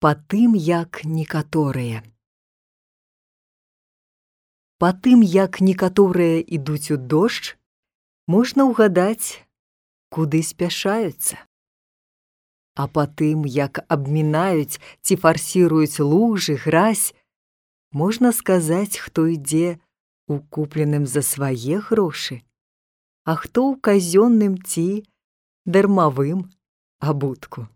Па тым, як некаторыя. Па тым, як некаторыя ідуць у дождж, можна ўгадаць, куды спяшаюцца. А па тым, як абмінаюць ці фарсіруюць лужы, гразь, можна сказаць, хто ідзе у купленым за свае грошы, а хто ў казённым ці дармавым абутку.